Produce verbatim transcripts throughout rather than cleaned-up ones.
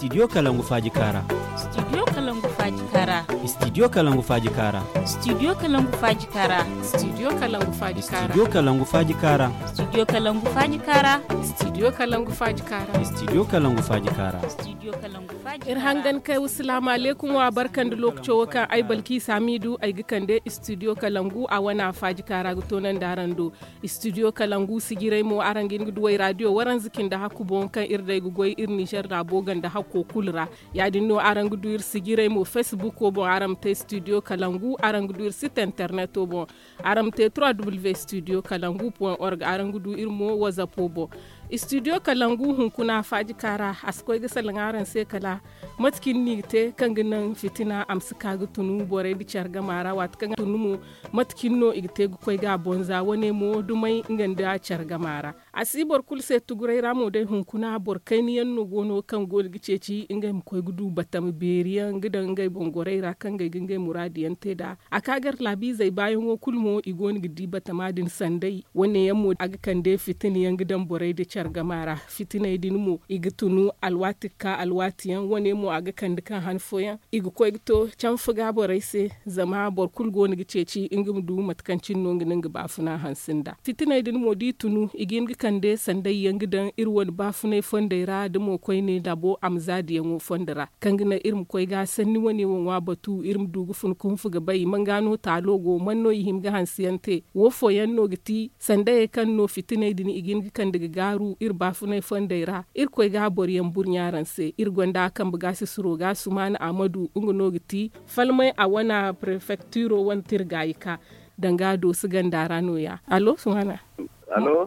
Studio Kalangu Faaji Kaara. Studio Kalangu Faaji Kaara. Studio Kalangu Faaji Kaara. Studio Kalangu Faaji Kaara. Studio Kalangu Faaji Kaara. Studio Kalangu Faaji Kaara. Studio Kalangu Faaji Kaara. Studio Kalangu Faaji Kaara. Studio Kalangu Faaji Kaara. Studio Kalangu Faaji Kaara. Iri hangan kay wa salaamu alaykum wa barka nda lookaco wo kaŋ ay balki saamiidu ay ga kande studio kalangu a wana faaji kaara ga toonandi araŋ do. Studio kalangu sijiray mo araŋ ga hin ga duw'ey raadiyo waranza cindi hakku boŋ kaŋ iri day ga goy iri ninzeer laabo ganda hakko kulu ra. Ya- din no araŋ ga du iri sijiray mo facebook wo boŋ araŋ ma te studio kalangu araŋ ga du iri site internet wo boŋ. Araŋ ma te trois w studio kalangu point org araŋ ga du iri mo whatsapp wo boŋ. Studio kalangu hunkuna faaji kaara a si koy ga salaŋ araŋ se kala mate cine no i ga te kaŋ ga naŋ fitina a ma si ka ga tunu borey nda care gama ra waati kaŋ a tunu mo. Mate cine no i ga te ga koy ga a boŋ za wane mo dumey nga nda care gama ra. A si boro kulu se tuguray ra mo day hunkuna boro kayna yaŋ no go no kaŋ go no ga ceeci ngey ma koy ga du batama beeri yaŋ ga daŋ ngey boŋ gorey ra kaŋ ngey ga ngey muraadu yaŋ te nd'a. A ka gar laabiizey baayaŋo kulu mo i go no ga di batama din sanday wane yaŋ mo a ga kande fitina yaŋ ga daŋ borey nda care gama ra. Fitiney din mo i ga tunu alwaati ga ka alwaati yaŋ wane mo a ga kande kaŋ han fooyaŋ i ga koy ga to canfa ga borey se. Zama boro kulu go no ga ceeci nga ma du mate kaŋ cine no nga no nga baafuna hanse nda fitiney din mo da i tunu i ga hin ga kande sanday yaŋ ga daŋ iri wane baafunay fondey ra da mo koyne laabo a ma za diyaŋo fondo ra kaŋ ga naŋ iri ma koy ga sanni wane wo ŋwa batu iri ma du ga fun kunfu ga bay manga no taalo go man no i hima ga hanse yaŋ te. Wo fooyaŋ no ga ti sandayey kaŋ no fitiney din i ga hin ga kande ga gaaru iri baafunay fondey ra. Iri koy ga boro yaŋ burɲa araŋ se iri gonda kambe ga sisiro ga sumaana ahmadu nga no ga ti falmay a wana prefecturo wane tirgaayi ka danga dooso ganda ra no- ya allo sumaana.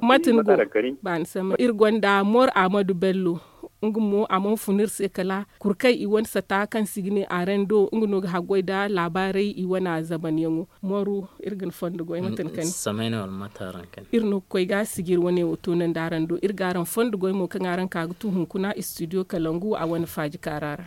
Mate ni go? Baani samay iri gonda mor ahmadu bello. Nga mo a mana fun iri se kala kurkay i wane sata kaŋ se i ga ne arendo nga no ga haggoy nda laabaarey i wane a zabanyaŋo. Moru iri ga ni fondo goy mate ni kani. Iri no ga koy ga sijiri wane wo toonandi araŋ do iri ga araŋ fondo goy mo kaŋ araŋ ka ga tu hunkuna studio kalangu a wane faaji kaara ra.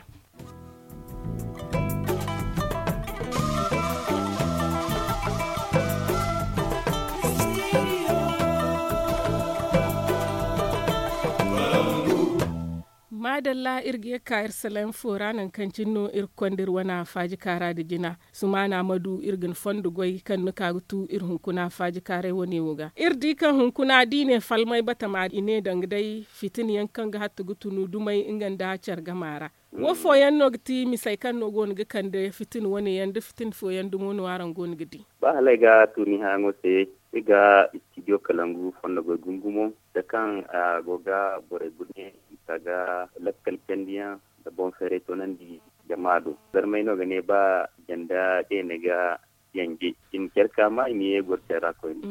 Maadalla iri ga ye ga ka iri salaŋ fo ra nangu kaŋ cine no iri ga konda iri wane faaji kaara nda jina. Sumaana ma du iri ga ni fondo goy kaŋ ni ka ga tu iri hunkuna faaji kaaray wane wo ga iri di kaŋ hunkuna da i ne falmay batama i ne danga day fitina yaŋ kaŋ ga hatta ga tunu dumay nga nda care gama ra. Wo fooyaŋ no ga ti misey kaŋ no go no ga kande fitina wane yaŋ da fitina fooyaŋ dumo no araŋ go no ga di? Ba hala ay ga tuni haayaŋo se iri ga studio kalangu fondo goy gumo gumo da kaŋ a go ga borey burɲe i ka ga lakkal candiyaŋ nda boŋ feeray toonandi jama do. Zarmey no ga ne ba janda deene ga yanje i ma care ka ma i ma ye goro care ra koyne.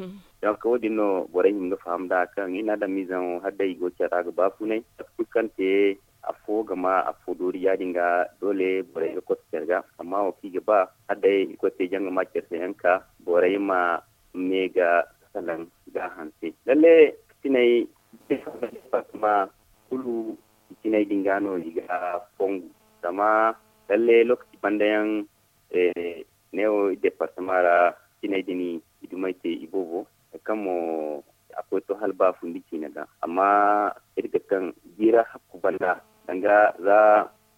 Donc wo- din no borey hima ga faham nd'a kaŋ i na adamiizaŋo hala day i go care ra ga baafunay mate kulu kaŋ te afo ga ma afo doori ya- din ga doole borey ga kote care ga. Amma wo kaŋ i ga ba hala day i koy te jaŋ ga ma care se yaŋ ka borey ma me ga salaŋ ga hanse lalle. Fitiney departama kulu fitiney din ga no i ga fongu zama lalle lokaci banda yaŋ neewo iri departama ra fitiney din i dumey te i boobo hari kaŋ mo a koy to hala baafundi ciine ga. Amma iri ga kaŋ jiira hakku banda danga za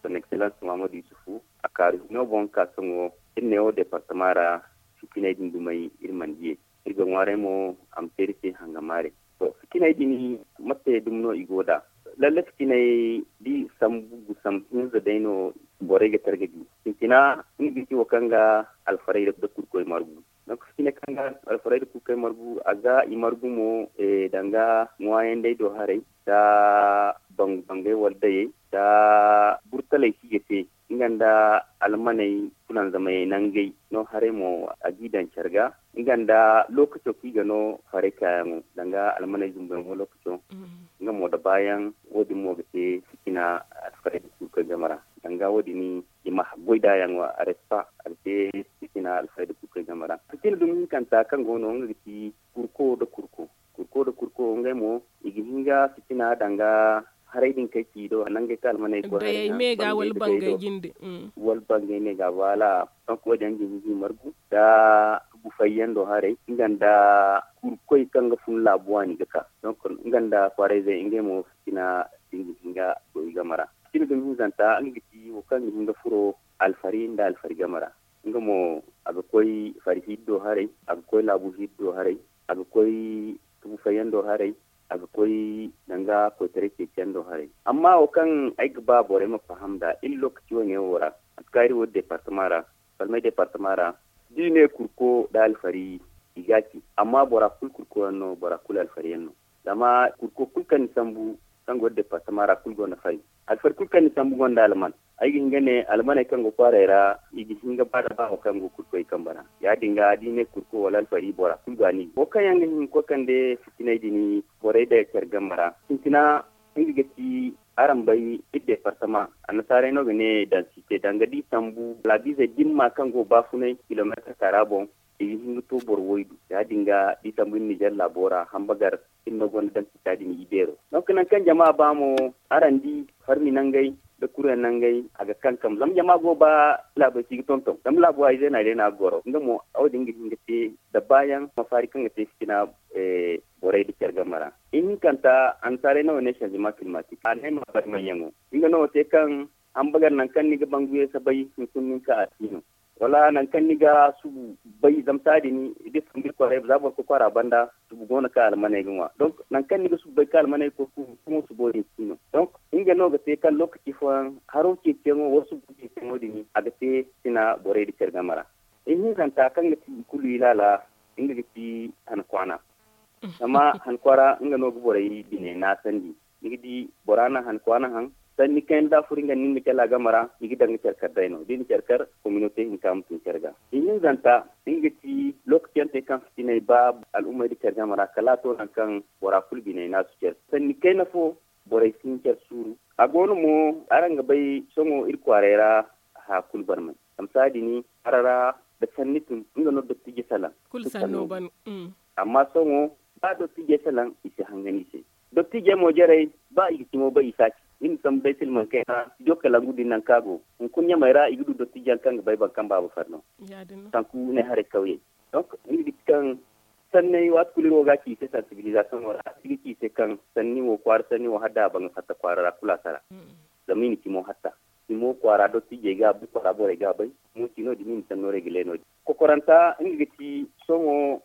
son excellence muhammadu yusufu a kaaru hino boŋ ka sohõ iri neewo departama ra fitiney din dumey iri mana diyey. Iri ga ŋwaaray mo a ma te iri se hangamaare. To fitiney din mate dumi no i go nd'a? Lalle fitiney da i sambu gusam hinza day no borey ga targa di. Sintina nga ga ci wo kaŋ ga alfarayda da kurkoy margu. Nangu fitiney kaŋ ga alfarayda kurkoy margu a ga i margu mo danga ŋwaayandey do haray nda bangu bangey wala dayey nda burtaley kaŋ i ga te nga nda almaney fulanzamey nangey no haray mo a g'i daŋ care ga nga nda lookaco kaŋ i ga no farey kaayaŋo danga almaney zumbuyaŋo lookaco. Nga mo da baayaŋ wo- din mo ga te fitina alfarayda kulu kaŋ game ra danga wo- din i ma goy nd'a yaŋo a respa a ga te fitina alfarayda kulu kaŋ game ra. Fitina dumi hinkanta kaŋ go no nga ga ti kurko nda kurko kurko nda kurko ngey mo i ga hin ga fitina danga haray din kaŋ ci i do nangey kaŋ almaney koy haray me ga wala bangey jinde wala bangey me ga voilà. Donc wo- din yaŋ ga hin ga i margu nda bufayyaŋ do haray nga nda kurkoy kaŋ ga fun laabu waani ga ka donc nga nda kwaarayzey ngey mo fitina din ga hin ga goy game ra. Nga dumi hinzanta nga ga ci wo kaŋ ga hin ga furo alfari nda alfari game ra. Nga mo a ga koy fari hiiri do haray, a ga koy laabu hiiri do haray, a ga koy tubu fayyaŋ do haray, a ga koy danga koytaray ceeciyaŋ do haray. Amma wo kaŋ ay ga ba borey ma faham nd'a iri lookaci wo- ne wo ra, mate kaŋ iri wo deepartama ra, falmay deepartama ra, da i ne kurko nda alfari, i ga a ci. Amma bora kulu kurko yaŋ no, bora kulu alfari yaŋ no. Zama kurko kulu kaŋ ni sambu kaŋ go deepartama ra kulu gonda fari. Alfari kulu kaŋ ni sambu gonda alman. Ay ga hin ga ne almaney kaŋ go kwaaray ra, i ga hin ga ba da ba wo kaŋ go kurkoy kambe ra. Ya- din ga da i ne kurko wala alfari bora kulu ga ni wo kaŋ yaŋ ga hin ga koy kande fitinay din borey day care game ra. Sintina, nga ga ci araŋ bay iri deepartama, annasaarey no ga ne dansite danga da i sambu laabiizey dimma kaŋ go baafunay kilomeetar kara boŋ, i ga hin ga to boro waydu. Ya- din ga da i sambu iri nizer laabo ra hambagar, iri no gonda dansita din i beero. Donc nangu kaŋ jama ba mo, araŋ di farmi nangey nda kuryaŋ nangey, a ga kankam zama jama go ba laabey se i ga tonton zama laabo ra ize no a day no a ga goro nga mo. Wo- din ga hin ga te da baayaŋ mafaari kaŋ ga te fitina borey nda care game ra. Ihinkanta annasaarey no ga ne sanzima kilimatik a ne ma bari manyaŋo. Nga no ga te kaŋ hambagar nangu kaŋ ni ga banguyey sabay hunkuna nin ka a si no, wala nangu kaŋ ni ga subu bay zama saadi ni da sambu iri kwaara banda subu go no kaŋ almaney ga ŋwa. Donc nangu kaŋ ni ga subu bay kaŋ almaney ga koy ka hunkuna subo din si no. Donc nga no ga te kaŋ lookaci fooyaŋ haro ceeciyaŋo wala subo ceeciyaŋo din a ga te sina borey nda care game ra. Ihinkanta kaŋ ga ti i kulu ilaala, nga ga ti hankwaana. Zama hankwaara nga no ga borey bine naasandi. Ni ga di bora na hankwaana haŋ, sanni kayna da a furo nga nda ni ma care a game ra, i ga daŋ ga care kar day no da i na care kar, kominote hinka ma tun care ga. Ihinzanta, nga ga ti lookaci yaŋ te kaŋ fitinay ba al'ummey nda care game ra kala a to nangu kaŋ bora kulu biney naasu care sanni kayna fo, borey si hin care suuru. A go no mo, araŋ ga bay sohõ iri kwaaray ra haya kulu barmay. Zama saadi ni, hara ra da sanni tun nga no dottijey salaŋ. Kulu sanno ban. Amma sohõ, ba dottijey salaŋ i si hangan i se. Dottijey mo jarey, ba i ga cimo bay i si a ci. Iri ma sambu day silmaŋ kayna studio kalangu din nangu kaŋ a go, hunkuna ɲamey ra i ga du dottijey yaŋ kaŋ ga bay boro kaŋ baaba fari no. Sanku ne haray kawyey. Donc, iri ga ci kaŋ sanney waati kulu iri wo ga a ci i se sansibilizasoŋo ra, iri ga ci i se kaŋ sanni wo kwaara sanni wo hala day a ban ga fatta kwaara ra kulu a sara. Zama i na cimo hatta, cimo kwaara dottijey ga a bay, kwaara borey ga a bay. Cimo ci no- din i na sanno regile no- din. Kokoranta nga ga ci sohõ,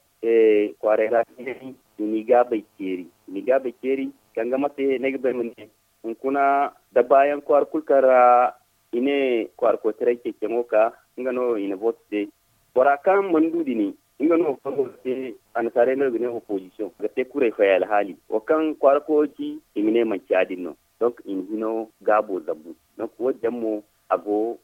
kwaaray ra, i na i gaabay ceeri. I na i gaabay ceeri kaŋ ga mate no ay ga bay ma ne, hunkuna da baayaŋ kwaara kulu kaŋ ra i ne kwaara koytaray ceeciyaŋo ka, nga no i na booto te. Bora kaŋ mana du din, nga no kaŋ go ga te, annasaarey no i ga ne opozisiyoŋ ga te kuray fay alhaali wo kaŋ kwaara koyo ci, i ma ne manci ya- din no. Donc i na hino gaabo zabu. Donc wo- din yaŋ mo a go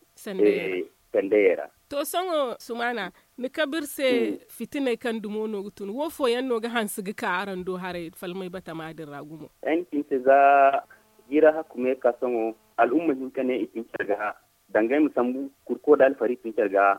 sandayey ra. To sohõ sumaana, ni kabe iri se fitiney kaŋ dumo no ga tun wo fooyaŋ no ga hanse ga ka araŋ do haray falmay batama din ra gumo? Ay na ci ni se za jiira hakku me ka sohõ, al'umma hinka ne i tun care ga danga ay ma sambu kurko da alfari tun care ga.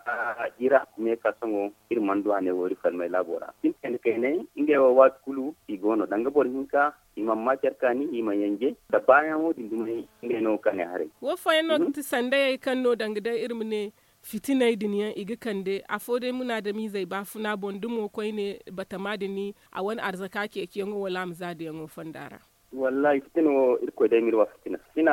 Jiira hakku me ka sohõ, iri mana du a ne wo iri falmay laabo ra sintin kayna kayna ngey wo waati kulu i go no danga boro hinka, i mana ma care kaani, i mana yanje da baayaŋo din dumey. Ngey no ga ne haray. Wo fooyaŋ no ga ti sandayey kaŋ no danga day iri ma ne fitiney din yaŋ i ga kande afo day munaadamiizey baafuna boŋ da mo koyne batama din a wane arzaka ceeciyaŋo wala a ma zaadayaŋo fonda ra. Wallaahi fitina wo irkoy day ma iri wa fitina fitina.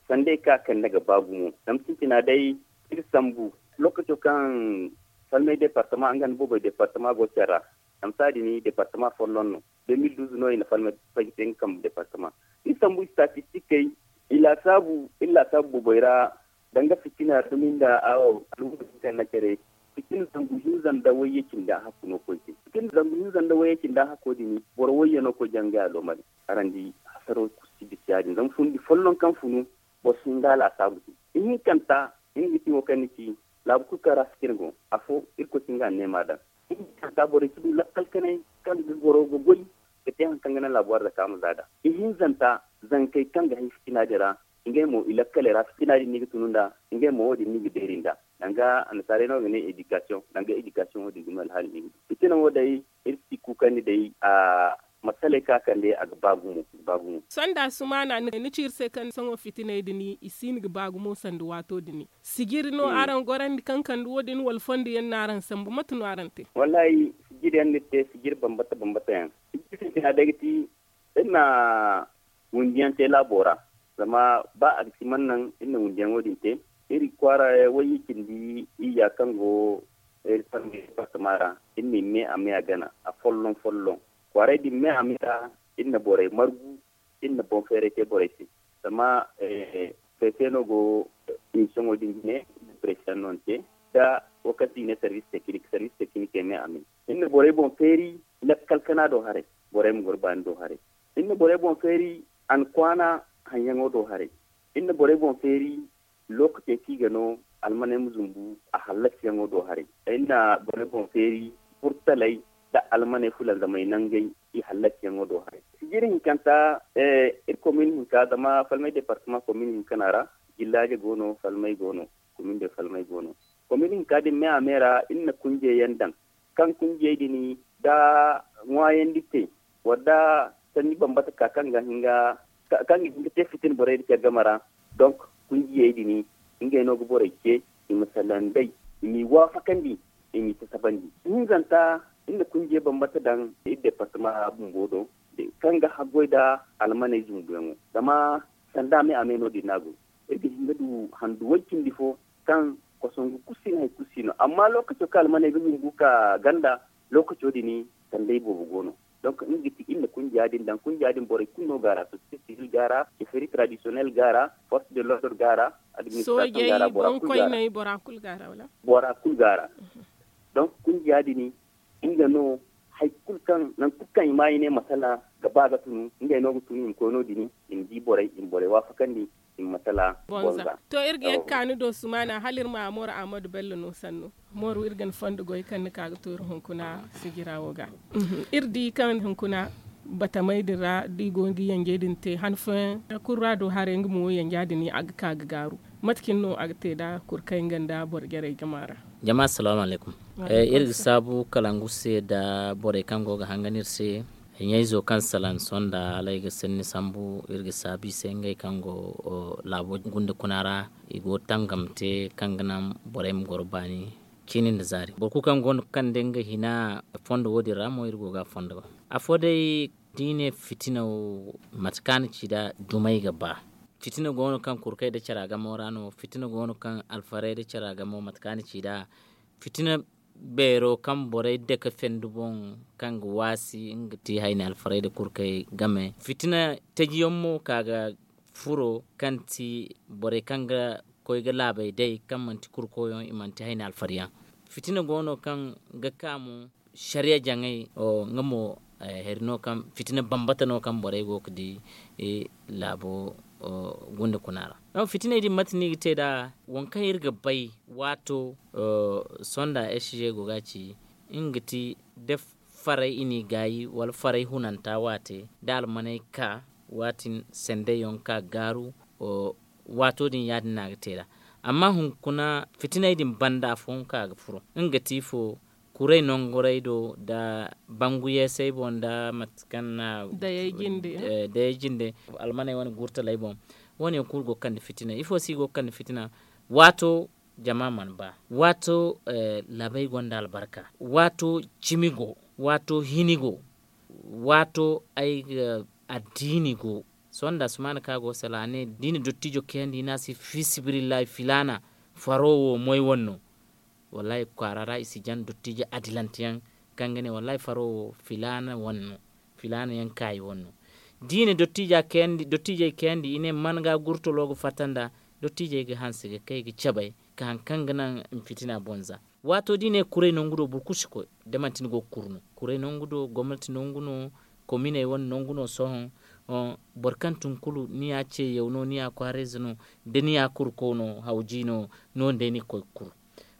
Sandey kaŋ a kande ga ba gumo zama sintina day iri sambu lookaco kaŋ falmay departama nga nda boobay departama go care ra. Zama saadi ni departama folloŋ no. De mil duuz no i na falmay fay ga te nga kambe departama. Iri sambu istatistikey, i laasaabu iri laasaabu boobay ra danga fitina dumi nda awo al'umma hinka nda care. Fitina zangu hinza nda wayye cindi a hakku no koy te fitina zangu hinza nda wayye cindi a hakko din boro wayye no koy jangay a loomari. Araŋ di hasaro kulu si bisa ya- din zama fundi folloŋ kaŋ funu boro si hin ga a laasaabu te. Ihinkanta nga ga ti wo kaŋ ni ci laabu kulu kaŋ ra fitina go afo irkoy si hin ga a neema daŋ. Ihinkanta borey si du lakkal kanay kaŋ ga goro ga goy ga te hari kaŋ ga naŋ laabu arzaka ma za nd'a. Ihinzanta zankey kaŋ ga hay fitina din ra ngey mo i lakkaley ra fitina din no i ga tunu nd'a. Ngey mo wo- din no i ga beeri nd'a danga annasaarey no ga ne edikasiyoŋ danga edikasiyoŋ wo- din dumi alhaali no i ga du fitina wo day. Iri si kuukandi day a masaley kaŋ a kande a ga ba gumo. Sonda sumaana ni ci iri se kaŋ sohõ fitiney din i siino ga ba gumo sanda waato din sijiri no araŋ gorandi kaŋ kande wo- din wala fondo yaŋ no araŋ sambu mate no araŋ te? Wallaahi sijiri yaŋ no iri te sijiri bambata bambata yaŋ. Sijiri sintina day ga ti iri na windi yaŋ te laabo ra. Zama ba a ga si man naŋ iri na wundiyaŋo din te, iri kwaara wayye cindi iyya kaŋ go iri farmey departama ra, iri na i me a me a gana a folloŋ folloŋ. Kwaaray din me a me ra, iri na borey margu, iri na boŋ feeray te borey se. Zama prefe no go, iri soŋo din jine iri na prefe yaŋ no ni te, nda wo kaŋ se i ne sarbiis tekinik sarbiis tekinikey me a me. Iri na borey boŋ feeri lakkal kana do haray, borey ma goro baani do haray. Iri na borey boŋ feeri a na kwaana haŋyaŋo do haray. Iri na borey boŋ feeri lookacey kaŋ i ga no almaney ma zumbu a hallasiyaŋo do haray. Iri na borey boŋ feeri furtaley nda almaney fulanzamey nangey i hallasiyaŋo do haray. Sijiri hinkanta iri komin hinka zama falmay departama komin hinka no a ra. Jillaaje go no falmay go no. Komin de falmay go no. Komin hinka din me a me ra iri na kunjey yaŋ daŋ. Kaŋ kunjey din da ŋwaayandi te wala da sanni bambata ka kaŋ ga hin ga te fitin borey nda care game ra. Donk kunjiyey din ngey no ga borey ce i ma salaŋ nd'ey, i m'i waafakandi, i m'i tasabandi. Hinzanta iri na kunjiyey bambata daŋ iri departama ra bumbo do, kaŋ ga haggoy nda almaney zumbuyaŋo. Zama sanda me a me no- din no a go. Iri ga hin ga du handu way cindi fo kaŋ kosongu kulu si no hari kulu si no amma lookaco kaŋ almaney ga zumbu ka ganda, lookaco din sandey boobo go no. Donk nga ga ti iri na kunja din daŋ kunja din borey kulu no go a ra sosiyete sivil go a ra, ceferi tradisiyonel go a ra, forse de lordre go a ra, administrasiyoŋ go a ra bora kulu go a ra. Bora kulu go a ra. Donk kunja din nga no hari kulu kaŋ nangu kulu kaŋ i ma i ne masala ga ba ga tunu ngey no ga tunu i ma koy no- din, i ma di borey i ma borey waafakandi. I ma masala bonza. To iri ga ye ga ka ni do sumaana hala iri ma a moro ahmadu bello no sannu. Moro iri ga ni fondo goy kaŋ ni ka ga to iri hunkuna sijira wo ga. Iri di kaŋ hunkuna batamey din ra da i go ga yanjey din te han fooyaŋ kulu ra do haray nga mo yanja din a ga ka ga gaaru. Mate cine no a ga te nda kurkay nga nda boro jarey jama ra? Jama assalamu alaykum. Iri ga saabu kalangu se nda borey kaŋ go ga hangan iri se. Ɲayzo kaŋ salaŋ sonda hala ay ga sanni sambu iri ga saabu i se ngey kaŋ go laabo gunda kuna ra. I go tangam te kaŋ ga naŋ borey ma goro baani. Ciini nda zaari boro kulu kaŋ go no ga kande nga hina fondo wo- din ra mo iri go ga a fondo. Afo day da i ne fitina wo mate kaŋ a na ci nd'a dumey ga ba. Fitina go no kaŋ kurkey nda cara gamo ra no fitina go no kaŋ alfarey nda cara gamo mate kaŋ a na ci nd'a. Fitina beero kaŋ borey dake fendi boŋ kaŋ ga waasi nga ti hayni alfarey nda kurkey game fitina taji yaŋ mo ka ga furo kaŋ ti borey kaŋ ga koy ga laabey day kaŋ manti kurkoyaŋ i manti hayni alfariyaŋ. Fitina go no kaŋ ga ka mo sariya jaŋay nga mo hari no kaŋ fitina bambata no kaŋ borey go ga di laabo gunda kuna ra. Fitiney din mate no i ga te nd'a waŋ kaŋ iri ga bay waato sonda sg go ga a ci nga ga ti da faray i n'i gaayi wala faray hunanta waate da almaney ka waatin sendey yaŋ ka gaaru. Waato din ya- din no a ga te nd'a amma hunkuna fitiney din banda afooyaŋ kaŋ a ga furo nga ga ti ifo kuray nanguray do nda bangu yeesey boŋ nda mate kaŋ no a dayey jinde almaney wane gurtaley boŋ. Wo- ne yaŋ kulu go ga kande fitina ifo se i go ga kande fitina. Waato jama mana ba waato laabey gonda albarka waato cimi go waato hini go waato ay ga addiini go. Sohõ nda sumaana kaŋ a go ga salaŋ a ne da i na dottijo kayandi i ne a se fiisabilillahi filaana faro wo moy wane no. Wallahi kwaara ra i si jaŋ dottijo adilante yaŋ kaŋ ga ne wallahi faro wo filaana wane no. Filaana yaŋ kaayi wane no da i na dottijey kayandi i ne man ga gurtalo ga fatta nda dottijey ga hanse ga kay ga cabe ka hari kaŋ ga naŋ i ma fitina boŋ za. Waato da i ne kuray nangu do boro kulu si koy da manti ni go ga kuru no kuray nangu do gomnati nangu no kominey wane nangu no sohõ. Boro kaŋ tun kulu ni ya ceeyaw no ni ya kwaarayze no da ni ya kurukaw no hawji no. No- din day ni ga koy ga kuru.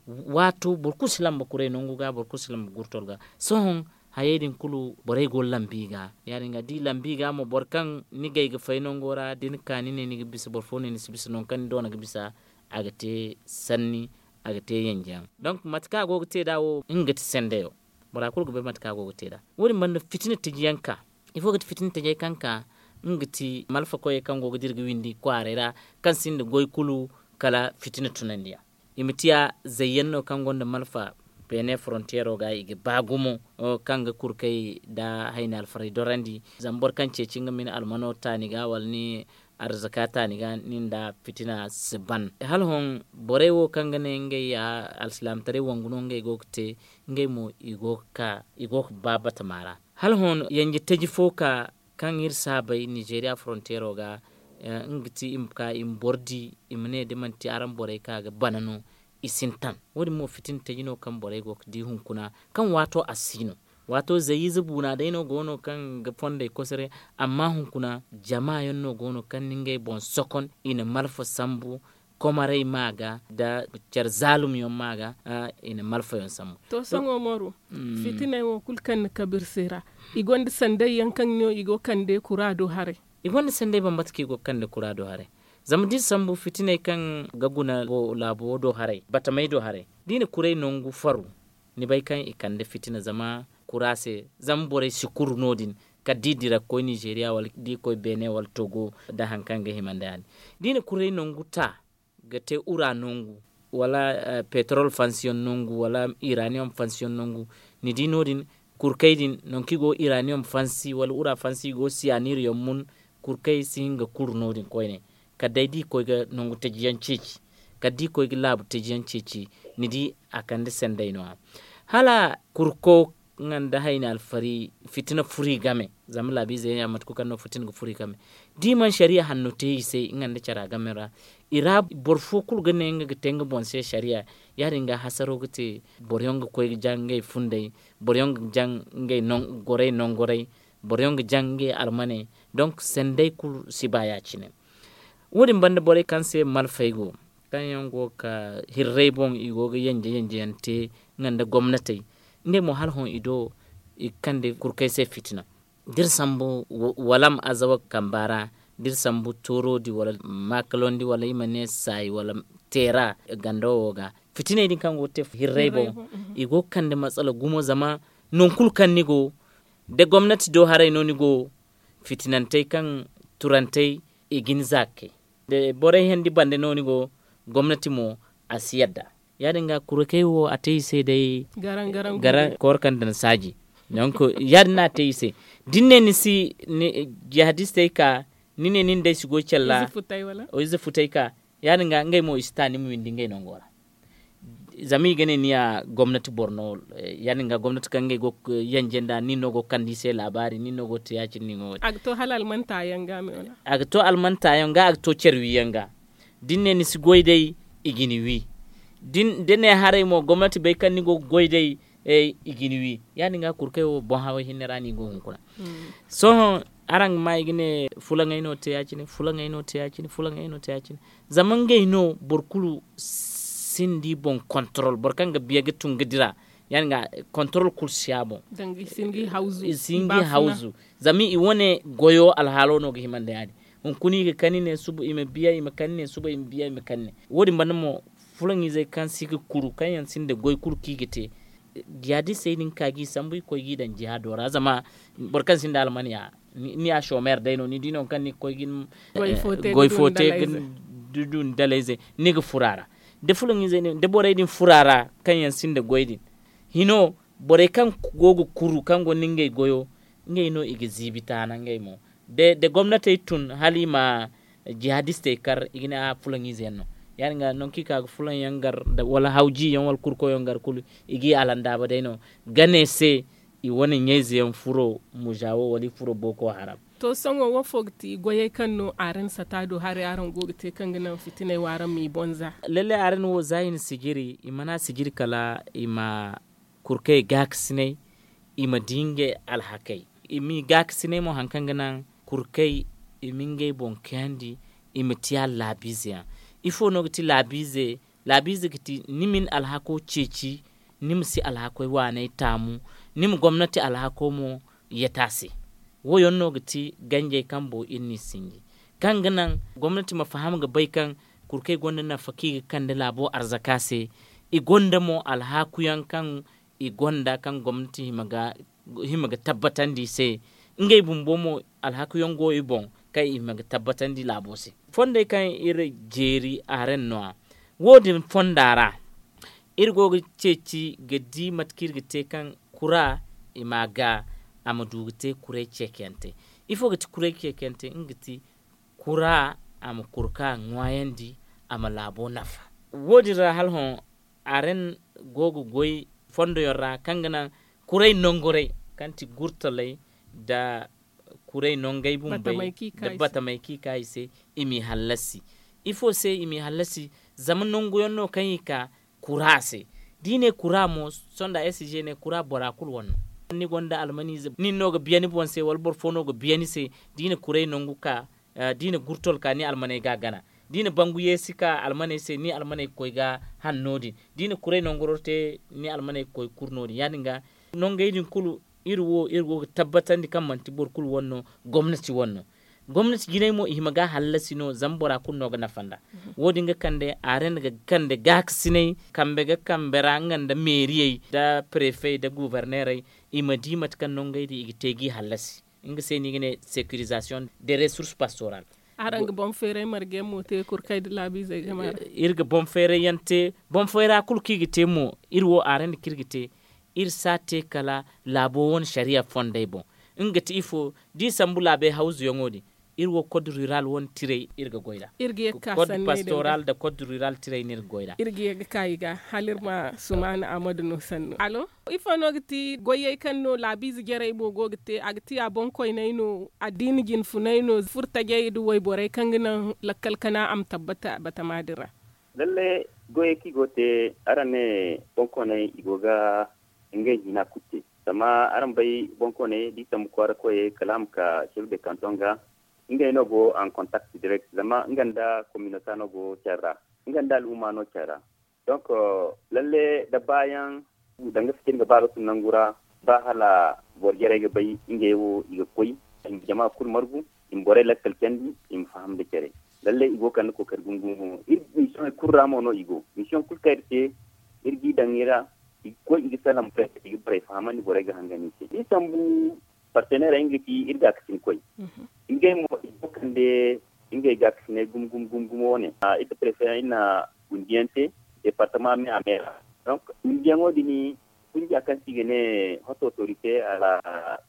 Waato boro kulu si lamba kuray nangu ga boro kulu si lamba gurtol ga. Sohõ hayey din kulu borey go ga lamba i ga ya- din ga da i lamba i ga mo boro kaŋ ni gay ga fay nango ra da ni ka ni ne ni ga bisa boro fo ne ni si bisa nangu kaŋ ni doona ga bisa. A ga te sanni a ga te yanjayaŋ. Donk mate kaŋ a go ga te nd'a wo nga ga ti sendeyo. Bora kulu ga bay mate kaŋ a go ga te nd'a wo- din banda fitina taji yaŋ ka ifo ga ti fitina tajey kaŋ ka nga ga ti malfa koyey kaŋ go ga dira ga windi kwaaray ra kaŋ sinda goy kulu kala fitina tunandiyaŋ. I ma tiya zayyaŋ no kaŋ gonda malfa beene forontiyero ga i ga ba gumo kaŋ ga kurkay nda hayni alfaray dorandi. Zama boro kaŋ ceeci nga ma ni almano taani ga wala ni Arzaka taani ga nin da fitina si ban hala hõ. Borey wo kaŋ ga ne ngey ya alsilaamataray wangu no ngey go ga te, ngey mo i go ga ba batama ra. Hala hõ yanje taji fo ka kaŋ iri si a bay nizeeriya fronteero ga, nga ga ti i ma ka i ma boro di, i ma ne da manti araŋ borey ka ga bana no. I sintin wo- din mo fitina taji no kaŋ borey go ga di hunkuna, kaŋ waato a si no. Waato zayyize buuna day no go no kaŋ ga fondey kosare. Amma hunkuna jama yaŋ no go no kaŋ na ngey boŋ sokon i na malfa sambu, komaray ma ga nda care zaalum yaŋ ma ga. I na malfa yaŋ sambu. To sohõ mooru, fitiney wo kulu kaŋ ni kabe iri se ra, i gonda sanday yaŋ kaŋ no i go ga kande kura do haray. I gonda sanday bambata kaŋ i go ga kande kura do haray. Zama da iri sambu fitiney kaŋ ga guna laabo wo do haray, batamey do haray, da i na kuray nangu faru, ni bay kaŋ i kande fitina zama kura se. Zama borey si kuru no- din, kala da i dira ga koy nizeeriya wala da i koy beene wala togo, nda hari kaŋ ga hima nda ya- din da i na kuray nangu ta ga te ura nangu, wala petrol fansiyoŋ nangu wala iraniyom fansiyoŋ nangu, ni di no- din, kurkey din nangu kaŋ i go ga iraniyom fansi wala ura fansi i go ga siyanir yaŋ mun. Kurkey si hin ga kuru no- din koyne. Kala day da i koy ga nangu taji yaŋ ceeci, kala da i koy ga laabu taji yaŋ ceeci, ni di a kande sanday no- ya. Hala kurko nga nda hayni alfari fitina furo i game. Zama laabiize yaŋ ya mate kulu kaŋ no fitina ga furo i game. Da i mana sariya hanno te i se nga nda cara game ra, i ra boro fo kulu ga ne nga ga te nga boŋ se sariya. Ya- din ga hasaro ga te, boro yaŋ ga koy ga jaŋ ngey fundey, boro yaŋ ga jaŋ ngey gorey nangoray, boro yaŋ ga jaŋ ngey almaney. Donk sanday kulu si ba ya- cine. Wo- din banda borey kaŋ se malfey go, kaŋ yaŋ go ga ka hirray boŋ i go ga yanje yanje yaŋ te, nga nda gomnatey, ngey mo hala hõ i do i ga kande kurkey se fitina. Da iri sambu walam azawa kamba ra, da iri sambu toorodi wala maakalondi wala i ma ne saayi wala teera ganda wo ga, fitiney din kaŋ go ga te hirray boŋ, i go ga kande matsala gumo zama nangu kulu kaŋ ni go, da gomnati do haray no ni go, fitinantey kaŋ turantey i ga ni za ga kay. Da borey hendi bande no ni go, gomnati mo a si yadda. Ya- din ga kurkey wo a te i se day. Garaŋ garaŋ kooro kaŋ daŋ saaji. Donk ya- din no a te i se. Da ni ne ni si jihadistey ka, ni ne nin day si goy care ra, ize futay ka, ya- din ga ngey mo i si ta ni ma windi ngey nango ra. Zama i ga ne ni ya gomnati boro no. Ya- din ga gomnati kaŋ ngey go ga yanje nda nin no go ga kande i se laabaari, nin no go ga te ya- cine nin go ga te. A ga to hala almanta yaŋ ga me wala? A ga to almanta yaŋ ga, a ga to care wi yaŋ ga. Da ni ne ni si goy day, i ga ni wi. Da ni ne haray mo gomnati bay kaŋ ni go ga goy day, i ga ni wi. Ya- din ga kurkey wo boŋ haway hinne ra no i go hunkuna. Sohõ araŋ ga ma i ga ne fulaŋey no te ya- cine, fulaŋey no te ya- cine, fulaŋey no te ya- cine. Zama ngey no boro kulu sinda i boŋ kontorol, boro kaŋ ga biya ga tun ga dira. Ya- din ga kontorol kulu si a boŋ. I si hin ga i hawzu. Zama i wane goyo alhaalo no ga hima nda ya- din. Hunkuna i ga kani ne suba i ma biya, i ma kani ne suba i ma biya, i ma kani ne. Wo- din banda mo, fulaŋizey kaŋ si ga kuru kaŋ yaŋ sinda goy kulu kaŋ i ga te, jihadistey din ka ga i sambu i ga koy ga i daŋ jihaado ra zama boro kaŋ sinda almaniya, ni ya chômeur day no, ni di no kaŋ ni ga koy ga ni goy fo te ga du ni dalayze, ni ga furo a ra. Da fulaŋizey din da borey din furo a ra, kaŋ yaŋ sinda goy din, hino, borey kaŋ go ga kuru kaŋ gonda ngey goyo, ngey no i ga ziibi taana ngey mo. Da gomnatey tun hala i ma jihadistey kar, i ga ne a fulaŋize yaŋ no. Ya- din ga nangu kaŋ i ka ga fulaŋ yaŋ gar, wala hawji yaŋ wala kurko yaŋ gar kulu, i ga i alandaaba day no. Gane se, i wane ɲayze yaŋ furo muzawo wala i furo boko haram. To sohõ wo fo ga ti goyey kaŋ no araŋ sata do haray araŋ go ga te kaŋ ga naŋ fitiney wo araŋ m'i boŋ za? Lalle araŋ wo za i na sijiri, i mana sijiri kala i ma kurkey gaakasinay, i ma di ngey alhakey. I m'i gaakasinay mo hari kaŋ ga naŋ kurkey i ma ngey boŋ kayandi, i ma tiya laabiize yaŋ. Ifo no ga ti laabiize? Laabiize ga ti ni ma ni alhako ceeci, ni ma si alhakoy waaney taamu, ni ma gomnati alhako mo yeta se. Wo- yaŋ no ga ti ganjey kaŋ boŋ iri n'i sinji, kaŋ ga naŋ gomnati ma faham ga bay kaŋ kurkey gonda nafa kaŋ i ga kande laabo arzaka se. I gonda mo alhaaku yaŋ kaŋ i gonda kaŋ gomnati hima ga hima ga tabbatandi i se. Ngey bumbo mo alhaaku yaŋ go i boŋ kaŋ i hima ga tabbatandi laabo se. Fondey kaŋ iri jeeri a ra no- ya, wo- din fonda ra iri go ga ceeci ga di mate kaŋ iri ga te kaŋ kura i ma ga a ma du ga te kuray ceekayante. Ifo ga ti kuray ceekayante? Nga ga ti Kura a ma kuru ka ŋwaayandi, a ma laabo nafa. Wo- din ra hala hõ, aren go ga goy fondoyaŋ ra kaŋ ga naŋ kuray nongoray, kaŋ ti gurtaley nda kuray nongey bumbey, nda batamey kaŋ i ka i se, i m'i hallasi. Ifo se i m'i hallasi? Zama nangu yaŋ no kaŋ i ka kura se. Da i ne kura mo, sonda s g ne kura bora kulu wane no. Ni gonda almaniize, nin no ga biya ni boŋ se wala boro fo no ga biya ni se. Da i na kuray nangu ka, da i na gurtol ka ni almaney ga a gana. Da i na bangu yeesi ka almaney se, ni almaney ga koy ga han no- din. Da i na kuray nanguro te, ni almaney ga koy ga kuru no- din ya- din ga. Nongey din kulu, iri wo iri go ga tabbatandi kaŋ manti boro kulu wane no, gomnati wane no. Gomnati jinay mo i hima ga hallasi no zama bora kulu no ga nafa nd'a. Wo- din ga kande a ra ni ga kande gaakasinay, kambe ga kambe ra nga nda meeriyey nda preefey nda guubarneerey, i ma di mate kaŋ nongey din i ga te g'i hallasi. Nga se no i ga ne securisation de resource pastoral. Araŋ ga boŋ feeray marga yaŋ mo te kurkay nda laabiizey game ra? Iri ga boŋ feeray yaŋ te. Boŋ feera kulu kaŋ i ga te mo, iri wo araŋ nda kaŋ iri ga te, iri si a te kala laabo wane sariya fondey boŋ. Nga ga ti ifo? Da i sambu laabey hawzuyaŋo din, iri wo kod rural wane tiray iri ga goy nd'a. Kod pastoral nda kod rural tiray no iri ga goy nd'a. Iri ga ye ga ka i ga hala iri ma sumaana amadu no sannu. Alo, ifo no ga ti goyey kaŋ no laabiize jarey mo go ga te? A ga ti a boŋkoyney no, addiina jinfunay no, furtajey nda wayborey kaŋ ga naŋ lakkal kana a ma tabbata batama din ra? Lalle, goyey kaŋ i go ga te, araŋ ne boŋkoyney i go ga ngey hina kulu te. Zama araŋ bay, boŋkoyney da i sambu kwaara koyey kala a ma ka chef de canton ga, ngey no go en contact direct zama nga nda kominota no go care ra, nga nda al'umma no care ra. Donc, lalle da baayaŋ, danga fitina ga ba ga tun nangu ra, ba hala boro jarey ga bay ngey wo i ga koy, i ma jama kulu margu, i ma borey lakkal candi, i ma faham nda care. Lalle i go ga kande kookari gumo gumo. Iri misiyoŋey kulu ra mo no i go. Misiyoŋ kulu kaŋ iri te, iri g'i daŋ i ra, i ga koy i ga salaŋ borey se, i ga borey fahamandi, borey ga hangan i se. Da i sambu, parteneerey nga ga ti iri gaakasinkoy. Ngey mo i go ga kande ngey gaakasinay gumo gumo gumo gumo wane. Iri nda prefe yaŋ iri na gundiyaŋ te, departama me a me ra. Donc, gundiyaŋo din, kunja kaŋ se i ga ne Haute Autorité à la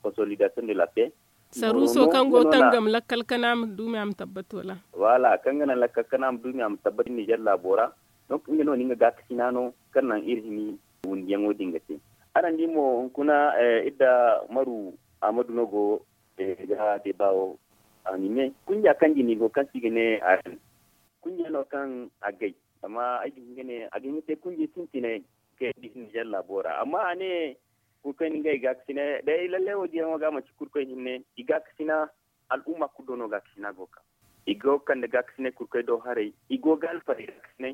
Consolidation de la Paix. Saruuso kaŋ go ga tangam lakkal kana ma duumi a ma tabbat wala? Wala kaŋ ga naŋ lakkal kana ma duumi a ma tabbat Nizer laabo ra. Donc, nga no na nga gaakasina no kaŋ naŋ iri hini wundiyaŋo din ga te. Araŋ di mo hunkuna, iri nda Maru Ahmadu no go ga deeba wo anime. Kunja kaŋ jine i go kaŋ se i ga ne Aren. Kunja no kaŋ a gay. Amma ay ga hin ga ne a ga hin ga te kunja sintinay kaŋ yaŋ ga hin Nizer laabo ra. Amma a ne kurkoy na ngey gaakasinay day lalle wo-din yaŋo ga manti kurkoy hinne i gaakasina. Al'umma kulu do no gaakasina go ga ka. I go ga kande gaakasinay kurkoy do haray. I go ga alfarey gaakasinay.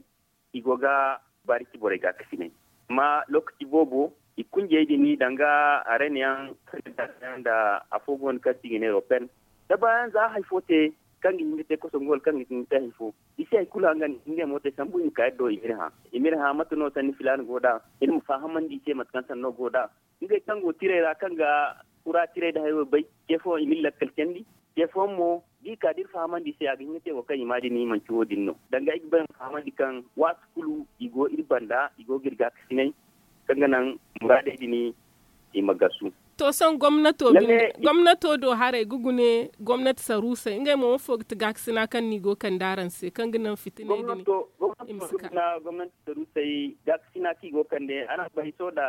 I go ga baari ci borey gaakasinay. Amma lokaci boobo i kunjey din danga arena yaŋ kaŋ ga daasa yaŋ nda afo go no kaŋ se i ga ne ropel. Da baayaŋ za hari fo te kaŋ ga hin ga te kosongu wala kaŋ ga hin ga te hari fo, i si hari kulu hangan i si ngey mo te sambu i ma ka iri do i m'iri hã. I m'iri hã mate no sanni filaana go nd'a. Iri ma fahamandi i se mate kaŋ sanno go nd'a. Ngey kaŋ go tirey ra kaŋ ga kura tirey nda hayo bay, ce fooyaŋ i m'iri lakkal candi. Ce fooyaŋ mo da i ka da iri fahamandi i se a ga hin ga te wo kaŋ i ma din manti wo-din no. Danga ay ga ba ay ma fahamandi kaŋ waati kulu i go iri banda, i go ga iri gaakasinay kaŋ ga naŋ muraadey din i ma gasu. To sohõ gomnato do haray ga gune gomnati saruusey ngey mo wo fo ga ti gaakasina kaŋ no i go ga kande araŋ se kaŋ ga naŋ fitiney din i ma si ka? Gomnati saruusey gaakasina kaŋ i go ga kande araŋ bay sohõ nda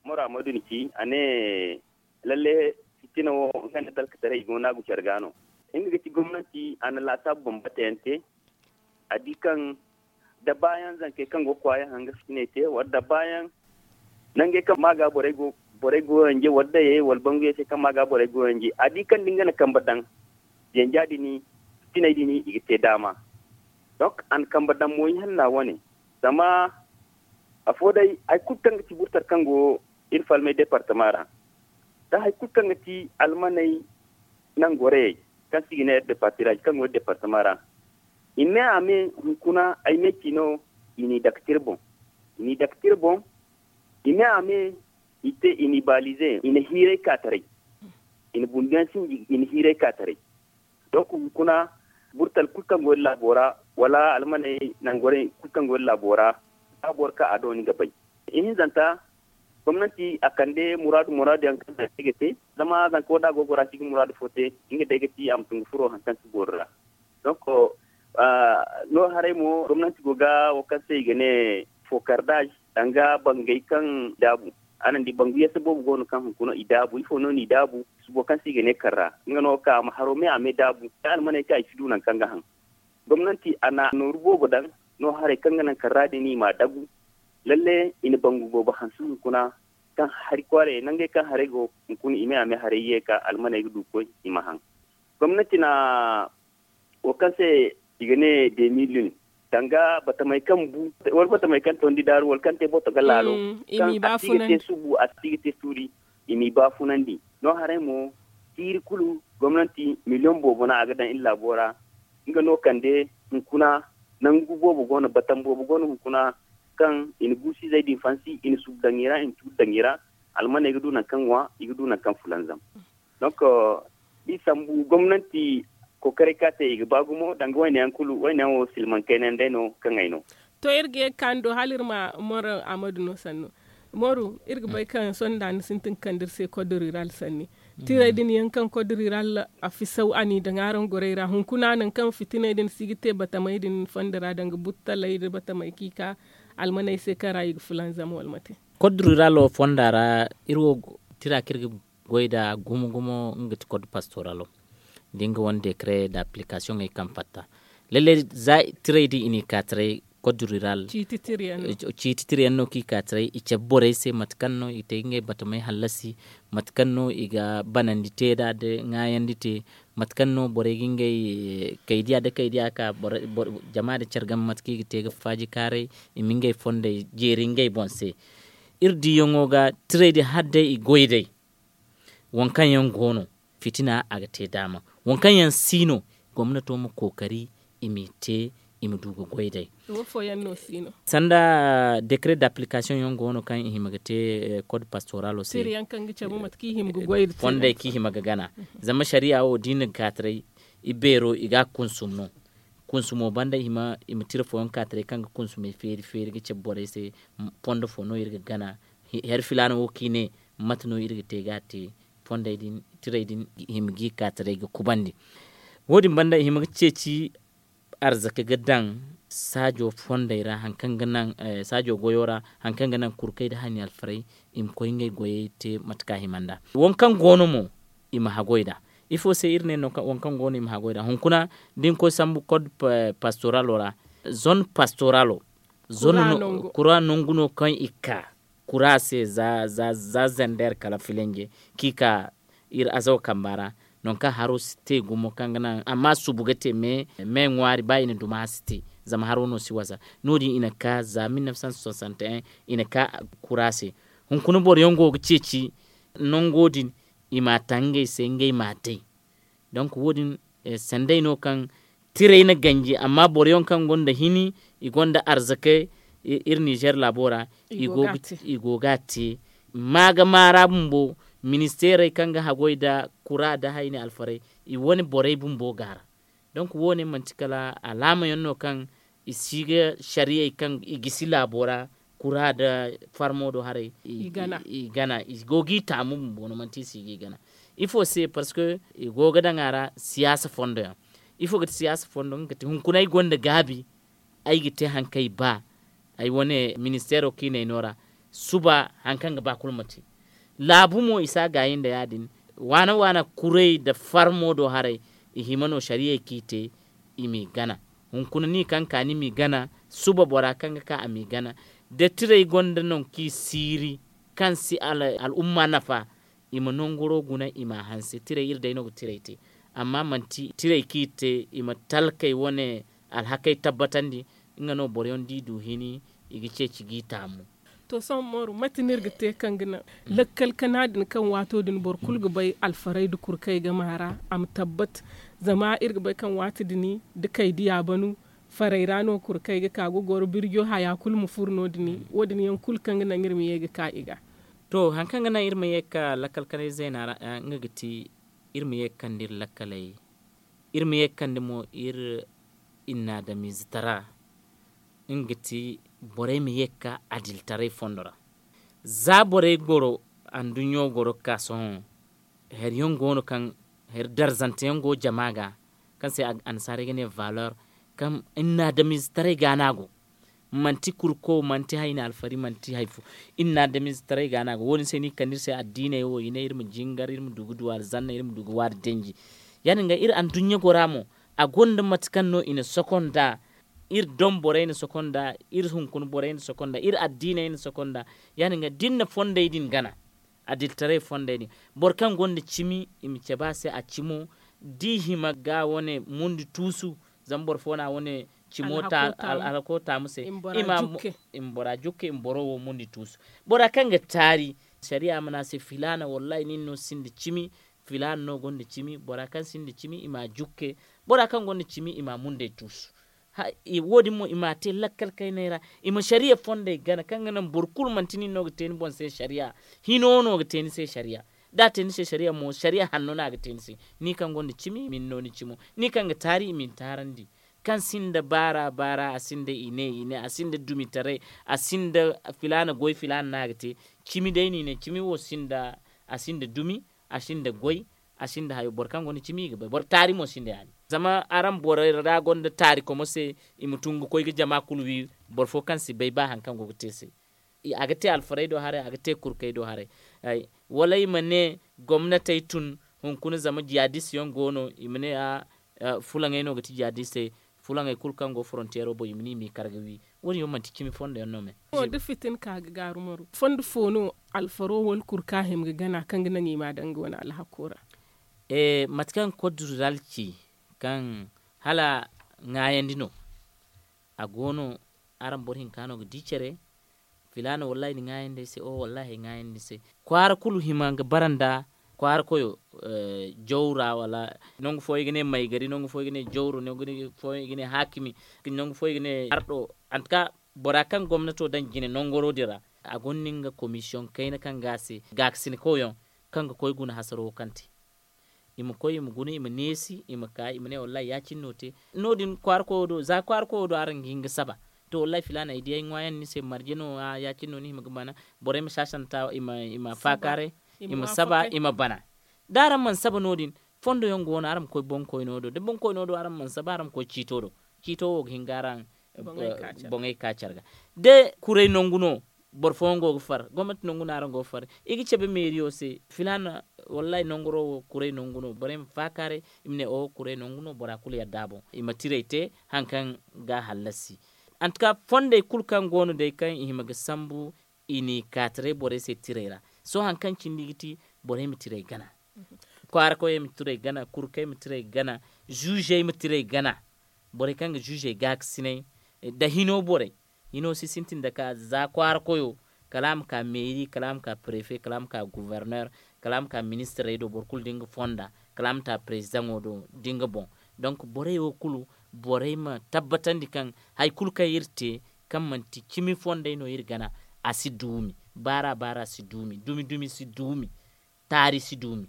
moro amadu ni ci a ne lalle fitina wo nga nda talkataray i go naagu care ga no. Nga ga ti gomnati a na laasaabu bambata yaŋ te. A di kaŋ da baayaŋ zankey kaŋ go ga kwaaya hanga fitiney te wala da baayaŋ nangey kaŋ ma ga borey go yanje wala dayey wala banguyey se kaŋ ma ga borey go yanje a di kaŋ da nga na kambe daŋ yanja din fitiney din i ga te daama. Donk a na kambe daŋ mo ihanna wane zama afo day hari kulu kaŋ ga ti burtar kaŋ go iri falmey departama ra da hari kulu kaŋ ga ti almaney nangorayey kaŋ se i ga ne iri departiraazi kaŋ go iri departama ra. I me a me hunkuna ay me ci no i n'i dake tira boŋ. I n'i dake tira boŋ. I me a me i te i n'i baalize i na hiiray ka taray. I na bunduyaŋ sinji i na hiiray ka taray. Donk hunkuna burtal kulu kaŋ go iri laabo ra wala almaney nangorey kulu kaŋ go iri laabo ra ba boro ka a do ni ga bay. Ihinzanta gomnanti a kande muraadu muraadu yaŋ kaŋ day ga te zama zanka wo da a go gora si ga muraadu fo te nga day ga ti a ma tungu furo hari kaŋ si boori ra. Donk no haray mo gomnanti go ga wo kaŋ se i ga ne fokardaz, danga bangey kaŋ i daabu. Araŋ di bangu yasa boobo go no kaŋ hunkuna i daabu ifo no no i daabu? Subo kaŋ se i ga ne karra nga no ka a ma haro me a me daabu da almaney kaŋ i si du nangu kaŋ ga haŋ. Gomnanti a na nooru boobo daŋ no haray kaŋ ga naŋ karra din i m'a dagu. Lalle i na bangu boobo hanse hunkuna kaŋ hari kwaaray nangey kaŋ haray go hunkuna i me a me haray ye ka almaney ga du koy i ma haŋ. Gomnanti na wo kaŋ se i ga ne demilin danga batamey kaŋ bu wala batamey kaŋ tondi daaru wala kaŋ te boto ga laalo kaŋ a si ga te subu a si ga te suuri. I m'i baafunandi no haray mo, tiiri kulu gomnanti miliyoŋ boobo no a ga daŋ iri laabo ra. Nga no kande hunkuna nangu boobo go no batam boobo go no hunkuna kaŋ i na guusu izey din fansi i na subu daŋ i ra i na tuuri daŋ i ra. Almaney ga du nangu kaŋ ŋwa i ga du nangu kaŋ fulanzam. Donk da i sambu gomnanti kookaray kaŋ a te i ga ba gumo danga wayne yaŋ kulu wayne yaŋ wo silmaŋ kayna yaŋ day no kaŋ ay no. To iri ga ye ga ka ni do hala iri ma moro amadu no sannu. Mooru iri ga bay kaŋ sohõ da ni sintin ga kande iri se kodoriral sanni. Tiray din yaŋ kaŋ kodoriral a fisaw a n'i daŋ araŋ gorey ra hunkuna nangu kaŋ fitiney din si ga te batamey din fondo ra danga buttaley nda batamey kaŋ i ka almaney se kaŋ ra i ga fulanzam wala mate? Kodoriral wo fonda ra iri wo tira kaŋ iri ga goy nd'a gumo gumo nga ti kod pastoralo. Da nga wane dekare nda apilikasoŋey kaŋ fatta lalle za tiray din i n'i ka taray kod rural. Ciiti tira yaŋ no kaŋ i ka taray i cabe borey se mate kaŋ no i te ngey batamey hallasi, mate kaŋ no i ga banandi te nd'a nda ŋwaayandi te, mate kaŋ no borey ga ngey kaydiya nda kaydiya ka jama nda care game mate kaŋ i ga te ga faaji kaaray, i ma ngey fondey jeeri ngey boŋ se. Iri diyaŋo ga tiray din hala day i goy day. Waŋ kaŋ yaŋ go no fitina a ga te daama. Waŋ kaŋ yaŋ si no gomnato ma kookari i m'i te, i ma du ga goy day. Sanda dekare da apilikasoŋ yaŋ go no kaŋ i hima ga te kod pastoralo se. Fondey kaŋ i hima ga gana. Zama sariya wo da i na ga ka taray i beero i ga a kunsum no. Kunsumo banda i ma tira fooyaŋ ka taray kaŋ ga kunsumey feeri feeri ga cabe borey se. Fondo fo no iri ga gana. Hari filaana wo kaŋ i ne mate no iri ga te ga a te. Fondey din tiray din i hima ga i ka taray ga kubandi. Wo- din banda i hima ga ceeci arzaka ga daŋ saajo fondey ra hari kaŋ ga naŋ saajo goyo ra hari kaŋ ga naŋ kurkey nda hani alfarey i ma koy ngey goyey te mate kaŋ a hima nd'a. Waŋ kaŋ go no mo i ma haggoy nd'a. Ifo se iri ne waŋ kaŋ go no i ma haggoy nd'a hunkuna da ni koy sambu kod pastoralo ra, zone pastoralo, kura nangu no kaŋ i ka kura se za zender kala filinje kaŋ i ka iri azawa kamba ra. Nangu kaŋ haro si te gumo kaŋ ga naŋ amma subu ga te me ŋwaari ba i na duma si te. Zama haro no si wasa. No- din i na ka za mil nef san soixante et un i na ka kura se. Hunkuna boro yaŋ go ga ceeci nango din i m'a taŋ ngey se ngey m'a day. Donk wo- din sanday no kaŋ tiray na ganji amma boro yaŋ kaŋ gonda hini i gonda arzakey iri nizer laabo ra. I go ga a te. Ma ga maara bumbo, ministerey kaŋ ga haggoy nda kura nda hayni alfarey i wane borey bumbo ga a ra. Donk wo- ne manti kala alaama yaŋ no kaŋ i si ga sariyey kaŋ i gisi laabo ra kura nda farmo do haray i gana i go ga i taamu bumbo no manti i si ga i gana. Ifo se parceque i go ga daŋ a ra siyaasa fondo yaŋ. Ifo ga ti siyaasa fondo nga ga ti hunkuna ay gonda gaabi ay ga te hari kaŋ ay ba. Ay wane ministeero kaŋ i na ay no ra suba hari kaŋ ga ba kulu ma te. Laabu mo i si a gaayi nda ya- din waana waana kuray nda farmo do haray. I hima no sariyey kaŋ i te i m'i gana. Hunkuna ni kaŋ ka ni m'i gana suba bora kaŋ ga ka a m'i gana. Da tiray gonda nangu kaŋ i siiri kaŋ si al'umma nafa i ma nanguro guna i m'a hanse tiray iri day no ga tiray te. Amma manti tiray kaŋ i te i ma talkey wane alhakey tabbatandi. Nga no boro yaŋ da i du hini i ga ceeci ga i taamu. To sohõ mooru mate no iri ga te kaŋ ga naŋ lakkal kana din kaŋ waato din boro kulu ga bay alfarey nda kurkey ga maara a ma tabbat. Zama iri ga bay kaŋ waati din da kay diya banu farey ra no kurkey ga ka ga goro birjo haya kulu ma furo no- din wo- din yaŋ kulu kaŋ ga naŋ iri ma ye ga ka i ga. To hari kaŋ ga naŋ iri ma ye ga ka lakkal kanay zeena ra nga ga ti iri ma ye ga kande iri lakkaley. Iri ma ye ga kande mo iri inna adamiize tara nga ga ti borey ma ye ga ka adilitaray fondo ra. Za borey goro anduɲɲo goro ga ka sohõ hari yaŋ go no kaŋ hari darzante yaŋ go jama ga. kaŋ se annasaarey ga ne valor, kaŋ inna adamize taray ga no a go. Manti kurko manti hayna alfari manti hayfo. Inna adamize taray ga no a go wo- din se no i ga kande iri se addiiney wo i ne iri ma jingar iri ma du ga du alzanna iri ma du ga waari danji. Ya- din ga iri anduɲɲa gora mo, a gonda mate kaŋ no i na soko nd'a. Iri doŋ borey na soko nd'a, iri hunkuna borey na soko nd'a, iri addiiney na soko nd'a. Ya- din ga da iri na fondey din gana, adilitaray fondey din, boro kaŋ gonda cimi i ma cabe a se a cimo. Da i hima ga wane mundi tuusu, zama boro fo no a wane cimo alhako taamu se, i ma bora jukke i ma boro wo mundi tuusu. Bora kaŋ ga taari, sariya mana a se filaana wallahi nin no sinda cimi. Filaana no gonda cimi bora kaŋ sinda cimi i ma a jukke. Bora kaŋ gonda cimi i ma a mundey tuusu. Wo- din mo i ma a te lakkal kayney ra. I ma sariya fondey gana kaŋ ga naŋ boro kulu manti nin no ga te ni boŋ se sariya. Hino no ga te ni se sariya. Da a te ni se sariya mo sariya hanno no a ga te ni se. Ni kaŋ gonda cimi i ma ni no ni cimo, ni kaŋ ga taari i ma ni taarandi. Kaŋ sinda baara baara a sinda i ne i ne a sinda dumitaray, a sinda filaana goy filaana no a ga te. Cimi day no i ne cimi wo sinda, a sinda dumi, a sinda goy, a sinda hayo boro kaŋ gonda cimi i ga bay boro taari mo sinda ya- din. Zama araŋ borey ra gonda taari komo se, i ma tun ga koy ga jama kulu wi. Boro fo kaŋ si bay ba hari kaŋ go ga te se. A ga te alfarey do haray a ga te kurkey do haray. Wala i ma ne gomnatey tun, hunkuna zama jihadist yaŋ go no i ma ne a fulaŋey no ga ti jihadistey. Fulaŋey kulu kaŋ go forontiyero boŋ i ma ne i m'i kar ga wi. Wo- din yaŋ manti cimi fondo yaŋ no me. Da fitin ka ga gaaru maru fondo fo no, alfaro wala kurka hima ga gana kaŋ ga naŋ i ma a daŋ ga wane alhako ra? Mate kaŋ koddural ci, kaŋ hala ŋaayandi no. A go no, araŋ boro hinka no ga di care. Filaana wallahi ni ŋaayandi ay se o wallahi ay ŋaayandi ni se. Kwaara kulu hima ga bara nda kwaara koyo. Jaw ra wala nangu fo i ga ne maygari nangu fo i ga ne jawro nangu fo i ga ne haakimi, nangu fo i ga ne ardo. Antuka bora kaŋ gomnato daŋ jine nangoro din ra, a gonda nga komisiyoŋ kayna kaŋ ga a se gaakasinikoyaŋ, kaŋ ga koy guna hasaro wo kaŋ te. I ma koy i ma guna i ma neesi i ma ka i ma ne wallahi ya- cine no te. No- din kwaara koyo do za kwaara koyo do araŋ ga hin ga saba. To wallahi filaana ay di ay ŋwaayaŋ ni se marje no ya- cine no ni hima ga bana. Borey ma saasanta i ma faakaaray, i ma saba i ma bana. Da araŋ mana saba no- din, fondo yaŋ go no araŋ ma koy boŋkoyno do da boŋkoyno do araŋ mana saba araŋ ma koy ciito do. Ciito wo ga hin ga araŋ boŋey ka care ga. Da kuray nangu no, boro fooyaŋ go ga far gomnati nangu no araŋ go ga far. I ga cabe meeriyo se filaana, wallahi nanguro wo kuray nangu no borey ma faakaaray. I ma ne oho kuray nangu no bora kulu yadda a boŋ i ma tiray te. Hari kaŋ ga a hallasi. Antuka fondey kulu kaŋ go no day kaŋ i hima ga sambu, i n'i kaataray borey se tiray ra. Sohõ hari kaŋ cindi ga ti, borey ma tiray gana. Kwaara koyey ma tiray gana kurkey ma tiray gana, zuuzey ma tiray gana. Borey kaŋ ga zuuzey gaakasinay, nda hino borey. Hino si sintin nda ka za kwaara koyo, kala a ma ka meeri kala a ma ka prefe kala a ma ka guverner, kala a ma ka ministirey do boro kulu da nga fonda, kala a ma ta prezidaŋo do da nga boŋ. Donk borey wo kulu, borey ma tabbatandi kaŋ hari kulu kaŋ iri te, kaŋ manti cimi fondey no iri gana, a si duumi. Baara baara si duumi dumi dumi si duumi. Taari si duumi.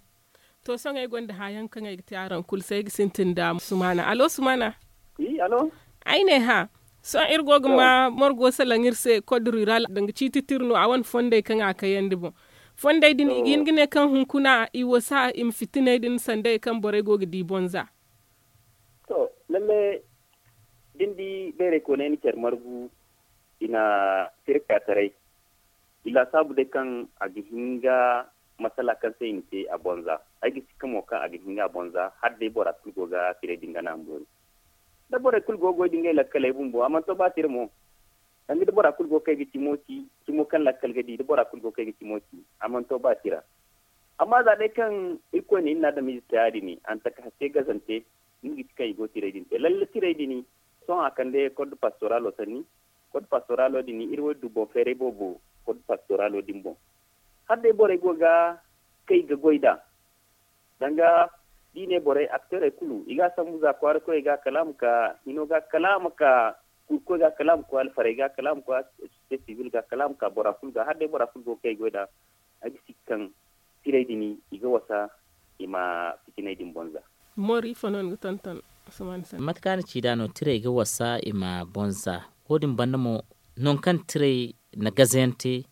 To sohõ ay gonda haayaŋ kaŋ ay ga te araŋ kulu se ay ga sintin nda sumaana alo sumaana. Ay ne hã, sohõ iri go ga ma margo salaŋ iri se code rural danga ciiti tira no a wane fondey kaŋ a kayandi boŋ. Fondey din i ga hin ga ne kaŋ hunkuna i wasa i ma fitiney din sanday kaŋ borey go ga di bonza. To, lalle da ni di bayray kooney na care margu, i na tirka taray. I laasaabu day kaŋ a ga hin ga masala kaŋ se i na te a bonza. Ay ga sikka mo kaŋ a ga hin ga a bonza hala day bora kulu go ga tiray din gana a ma boori. Da borey kulu go ga goy da ngey lakkaley bumbo a mana to ba tira mo. Danga da bora kulu go ga kay ga cimo ci, cimo kaŋ lakkal ga di da bora kulu go ga kay ga cimo ci, a mana to ba tira. Amma za day kaŋ irkoy na iri na adamize te ya- din a na taka hakke gazante. Nga ga ti kaŋ i go ga tiray din te lalle tiray din. Sohõ a kande code pastoralo sanni. Code pastoralo din iri wo iri du boŋ feeray boobo. Code pastoralo din boŋ hala day borey go ga kay ga goy nd'a. Danga da i ne borey akteerey kulu i ga a sambu za kwaara koyey ga kala a ma ka hino ga kala a ma ka kurkoy ga kala a ma koy alfarey ga kala a ma koy asosiyete sibil ga kala a ma ka bora kulu ga hala day bora kulu go ga kay ga goy nd'a. Ay ga si kaŋ tirey din i ga wasa i ma fitiney din boŋ za. Mate kaŋ a na ci nd'a no tirey ga wasa i ma boŋ za. Wo- din banda mo, nangu kaŋ tirey na gazayaŋ te,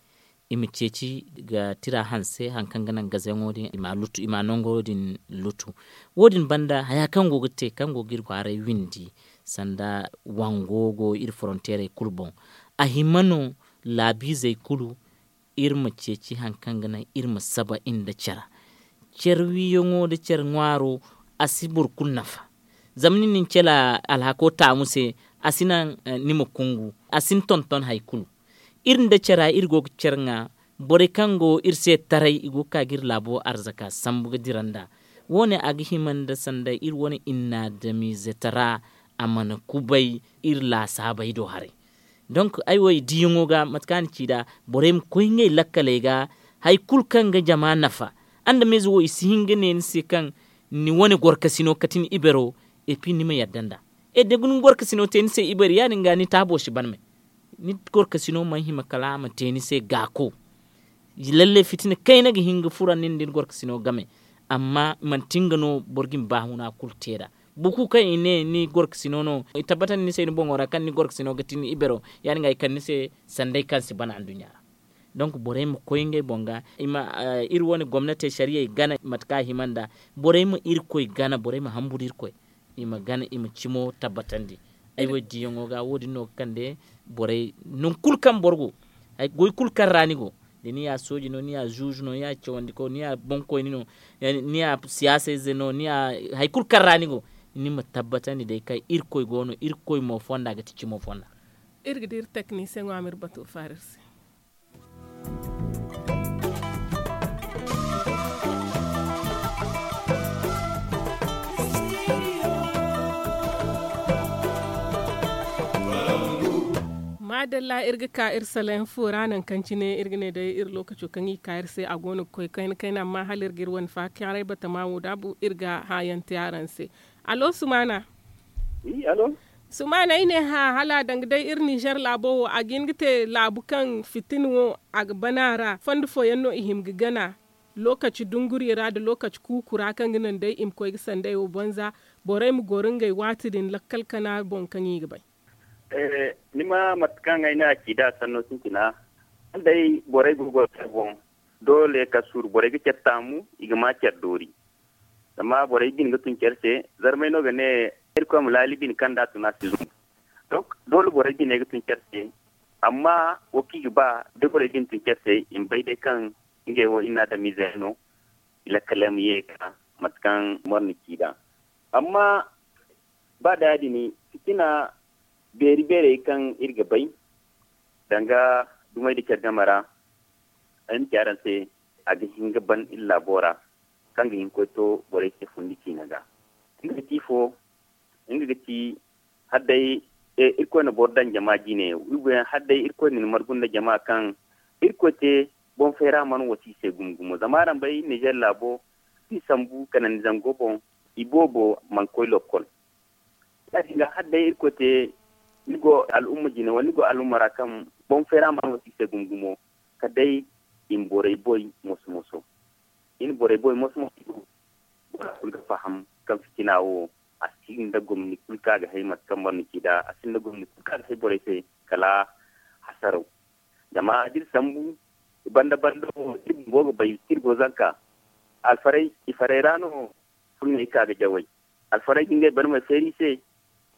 I ma ceeci ga tira hanse hari kaŋ ga naŋ gazayaŋo din i ma nango din lutu. Wo- din banda haya kaŋ go ga te kaŋ go ga iri kwaaray windi, sanda wango go iri foronteerey kulu boŋ. A hima no laabiizey kulu iri ma ceeci hari kaŋ ga naŋ iri ma saba nda care. Care wiiyaŋo nda care ŋwaaro, a si boro kulu nafa. Zama ni na ni care alhako taamu se, a si naŋ ni ma kungu, a si ni tonton hari kulu. Iri nda cara iri go ga care ŋwa. Borey kaŋ go iri se taray i go ga ka ga iri laabo arzaka sambu ga dira nd'a. Wo- ne a ga hima nda sanda iri wane inna damiize tara, a mana kubay iri laasaabey do haray. Donk ay wo i diiyaŋo ga mate kaŋ a na ci nd'a, borey ma koy ngey lakkaley ga. Hari kulu kaŋ ga jama nafa, adamize wo i si hin ga ne ni se kaŋ ni wane gorkasino kati ni ibero, epi ni ma yadda nd'a. E da ni gorkasino te ni se ibero ya- din ga ni taabo si ban me. Ni gorkasino mana hima kala a ma te ni se gaako. Lalle fitina kayna ga hin ga fura nin da ni gorkasino game. Amma manti nga no boro ga ni baahuna kulu te nd'a. Boro kulu kaŋ i ne ni gorkasino no i tabbatandi ni se ni boŋo ra kaŋ ni gorkasino ga ti ni ibero, ya- din ga i kande ni se sanday kaŋ si ban anduɲɲa ra. Donk borey ma koy ngey boŋ ga, iri wane gomnatey sariyey gana mate kaŋ a hima nd'a. Borey ma irkoy gana borey ma hamburu irkoy, i ma gana i ma cimo tabbatandi. Ay wo diiyaŋo ga wo- din no ga kande borey nangu kulu kaŋ boro go, goy kulu kaŋ ra ni go, da ni ya sooji no ni ya zuuzu no ni ya cawandiko ni ya boŋkoyni no, ni ya siyaasayze no ni ya hari kulu kaŋ ra ni go, ni ma tabbatandi day kaŋ irkoy go no irkoy mo fonda ga ti cimo fonda. Iri ga di iri teknisiyeŋo a ma iri bato faara iri se. Maadalla iri ga ka iri salayaŋ fo ra nangu kaŋ cine iri ga ne day iri lookaco kaŋ i ga ka iri se a go no ga koy kayna kayna amma hala iri ga iri wane faakaaray batama wo daabu iri ga haayaŋ te araŋ se. Allo sumaana. Sumaana ay ne hã hala a danga day iri ninzeer laabo wo a ga hin ga te laabu kaŋ fitina wo a ga ban a ra fondo fooyaŋ no i hima ga gana lookaci dunguriyo ra nda lookaci kuuku ra kaŋ ga naŋ day i ma koy ga sanday wo banza. Borey ma goro ngey waati din lakkal kana boŋ kaŋ i ga bay. Ni ma mate kaŋ ay ne a ci nd'a sanno sintina, hala day borey go ga goro care boŋ, doole ka suuru borey ga care taamu, i ga ma care doori. Zama borey bine ga tun care se. Zarmay no ga ne, irkoy ma laali bine kaŋ da a tun a si zumbu. Donk doole borey bine ga tun care se. Amma wo kaŋ i ga ba da borey bine tun care se i ma bay day kaŋ ngey wo inna adamize yaŋ no. I lakkal yaŋ ma ye ga ka mate kaŋ boro na ci nd'a. Amma ba da ya- din fitina beeri beerey kaŋ iri ga bay danga dumey nda care game ra, ay ma ci araŋ se, a ga hin ga ban iri laabo ra kaŋ ga hin ga koy to borey se fundi ciina ga. Nga ga ti ifo? Nga ga ti hala day irkoy na boro daŋ jama jine, hala day irkoy na ni margu nda jama kaŋ irkoy te boŋ fayra mana wasa i se gumo gumo zama araŋ bay ninzeer laabo, iri sambu kanandi zango boŋ, iboobo mana koy lokkol. Ya- din ga hala day irkoy te ni go al'umma jine wala ni go al'umma ra kaŋ boŋ fayra mana wasa i se gumo gumo, kala day i ma borey boy moso moso. I na borey boy moso moso. Bora kulu ga faham kaŋ fitina wo a sinda gomni kulu kaŋ a ga hay mate kaŋ boro na ci nd'a, a sinda gomni kulu kaŋ a ga hay borey se kala hasaraw. Zama da iri sambu banda banda wo iri bumbo ga bay kaŋ iri go zanka. Alfarey i farey ra no furney ka ga jawey. Alfarey ga ngey barmey feeri i se.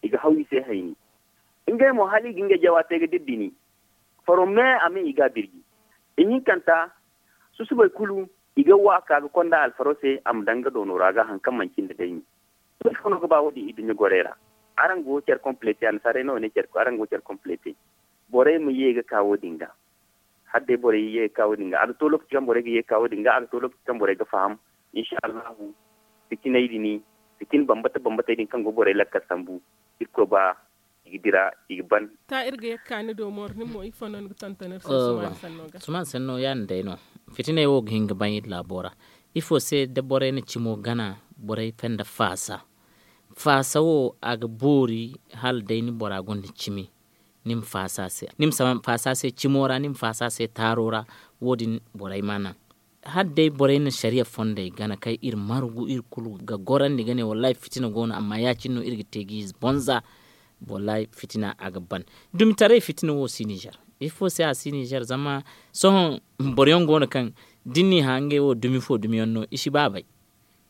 I ga haw i se hayni. Ngey mo hala i ga ngey jawa te ga dira dini. Faro me a me i ga a birji. Ihinkanta susubey kulu i ga wa ka ga konda alfaro se a ma daŋ nga doono ra ga hari kaŋ manci nda daymi. Ifo no ga ba wo- din iduɲɲa gorey ra? Araŋ go care complete annasaarey no ne care araŋ go care complete. Borey ma ye ga ka wo- din ga. Hala day borey ye ga ka wo- din ga a ga to lokaci kaŋ borey ga ye ga ka wo- din ga a ga to lokaci kaŋ borey ga faham. Insa allahu. Fitiney din fitina bambata bambatey din kaŋ go borey lakkal sambu. Irkoy ba i ga dira i ga ban. Ta iri ga ye ga ka ni do mooro nin mo ifo no ni ga tonton iri se sumaana sanno ga? Sumaana sanno ya- din day no. Fitiney wo ga hin ga ban iri laabo ra. Ifo se da borey na cimo gana borey fenda faasa. Faasa wo a ga boori hala day ni bora gonda cimi. Ni ma faasa a se cimo ra ni ma faasa a se taaro ra. Wo- din borey ma naŋ hala day borey na sariya fondey gana kaŋ iri margu iri kulu ga gorandi ga ne wallahi fitina go no amma ya- cine no iri ga te ga ize bonza. Wallahi fitina a ga ban. Dumitaray fitina wo si nizer. Ifo se a si nizer zama sohõ boro yaŋ go no kaŋ da ni n'i hã ngey wo dumi fo dumi yaŋ no i si ba bay.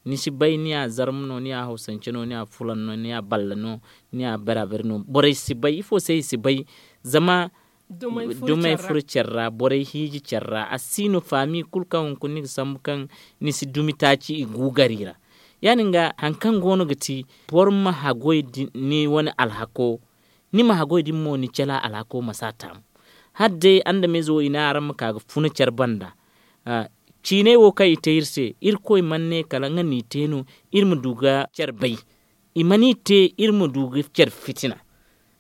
Ni si bay ni ya zarma no ni ya hawsance no ni ya fulan no ni ya balla no ni ya barabar no borey si bay ifo se i si bay. Zama dumey furo care ra borey hiiji care ra a si no faami kulu kaŋ hunkuna ni ga sambu kaŋ ni si dumi taaci i gu gari ra. Ya- din ga hari kaŋ go no ga ti boro ma haggoy ni wane alhako ni ma haggoy din mo ni cala alhako ma si a taamu. Hala day adamize wo i ne araŋ ma ka ga funa care banda. Ciinay wo kaŋ i te iri se irkoy mana ne kala nga no i te no iri ma du ga care bay. I mana i te iri ma du ga care fitina.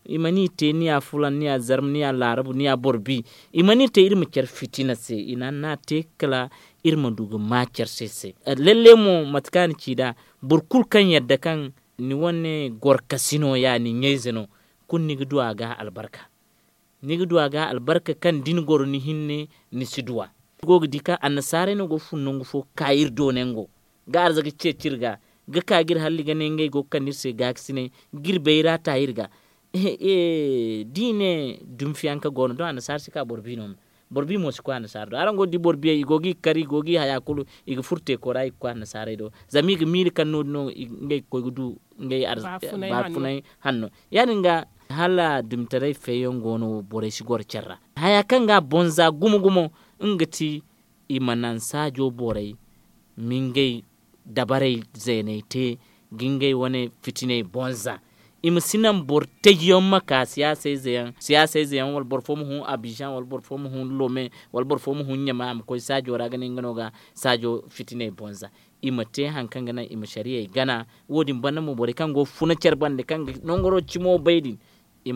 I mana i te ni ya fulan ni ya zarma ni ya laarabu ni ya boro bi. I mana i te iri ma care fitina se i na a te kala iri ma du ga ma care se se. Lalle mo mate kaŋ a na ci nd'a boro kulu kaŋ yadda kaŋ ni wane gorkasi no ya ni ɲayze no. Kulu ni ga du a ga albarka. Ni ga du a ga albarka kaŋ da ni goro ni hinne ni si du a. Iri go ga di kaŋ annasaarey no go ga fun nangu fo ga ka iri do nango ga arza ga ceeci iri ga ga ka ga iri halli ga ne ngey go ga kande iri se gaakasinay ga iri bayra ta iri ga. Da i ne dumfiyanka go no doŋ annasaara si ka boro bi no. Boro bi mo si koy annasaara do araŋ go ga di boro biyey i go ga i kar i go ga i haya kulu i ga furo teeko ra i ga koy annasaarey do. Zama i ga miila kaŋ no- din no ngey ga koy ga du ngey baafunay hanno. Ya- din ga hala dumitaray feeyaŋ go no borey si goro care ra. Haya kaŋ ga a bonza gumo gumo nga ga ti i ma naŋ saajo borey ma ngey dabarey zeeney te ga ngey wane fitiney bonza. I ma si naŋ boro taji yaŋ ma ka siyaasa ize yaŋ wala boro fo ma hun abizaŋ wala boro fo ma hun lome wala boro fo ma hun ɲama a ma koy saajo ra ga ne nga no ga saajo fitiney bonza. I ma te hari kaŋ ga naŋ i ma sariyey gana. Wo- din banda mo borey kaŋ go ga funa care banda kaŋ ga nangaro cimo bay din i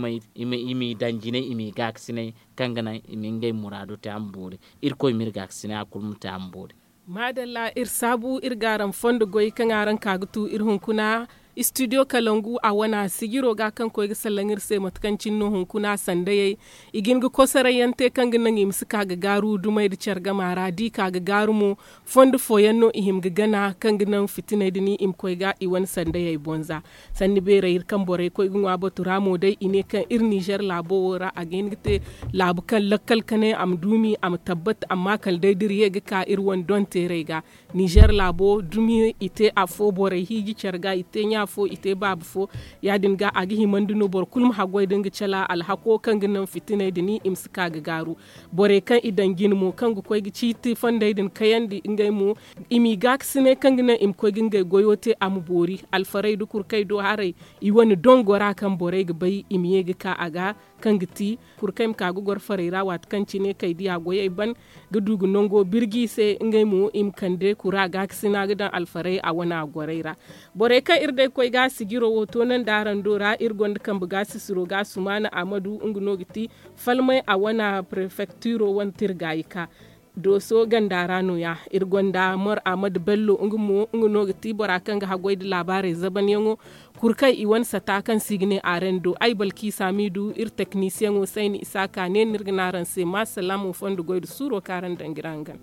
m'i daŋ jinay i m'i gaakasinay kaŋ ga naŋ i ma ngey muraado te a ma boori. Irkoy ma iri gaakasinay a kulu ma te a ma boori. Maadalla iri saabu iri ga araŋ fondo goy kaŋ araŋ ka ga tu iri hunkuna. Istidiyo kalangu a wane sijiro ga kaŋ koy ga sallaŋ iri se mate kaŋ cine no hunkuna sandayey i ga hin ga kosoray yaŋ te kaŋ ga naŋ i ma si ka ga gaaru dumey nda care gama ra da i ka ga gaaru mo. Fondo fooyaŋ no i hima ga gana kaŋ ga naŋ fitiney din i ma koy ga i wane sandayey bonza. Sanni beerey iri kaŋ borey koy ga ŋwa batu ra mo day i ne kaŋ iri nizer laabo wo ra a ga hin ga te laabu kaŋ lakkal kanay a ma duumi a ma tabbat amma kala day da iri ye ga ka iri wane donteerey ga. Nizer laabo dumi i te afo borey hiiji care ga i te ɲa fo i te baaba fo. Ya- din ga a ga himandi no boro kulu ma haggoy da nga cala alhako kaŋ ga naŋ fitiney din i ma si ka ga gaaru. Borey kaŋ i daŋ jine mo kaŋ ga koy ga ciiti fondey din kayandi ngey mo i m'i gaakasinay kaŋ ga naŋ i ma koy ga ngey goyo te a ma boori alfarey nda kurkey do haray. I wane dongo ra kaŋ borey ga bay i ma ye ga ka a ga kaŋ ga ti kurkey ma ka ga goro farey ra waati kaŋ cine kay diya goyey ban ga du ga nango birji i se ngey mo i ma kande kura gaakasina ga daŋ alfarey a wana gorey ra. Borey kaŋ iri day koy ga sijiro wo toonandi araŋ do ra iri gonda kambe gaasisiro ga sumaana amadu nga no ga ti falmay a wana prefektiro wane tirgaayi ka dooso ganda ra no- ya. Iri gonda mor amadu bello nga mo nga no ga ti bora kaŋ ga haggoy nda laabaarey zabanyaŋo. Kuru kaŋ i wane sata kaŋ se i ga ne areŋ do ay balki saamiidu iri teknisiyaŋo sayni isa ka ne no iri ga ne araŋ se ma salaamo fondo goy nda suuro kaŋ araŋ daŋ ga iri hangan.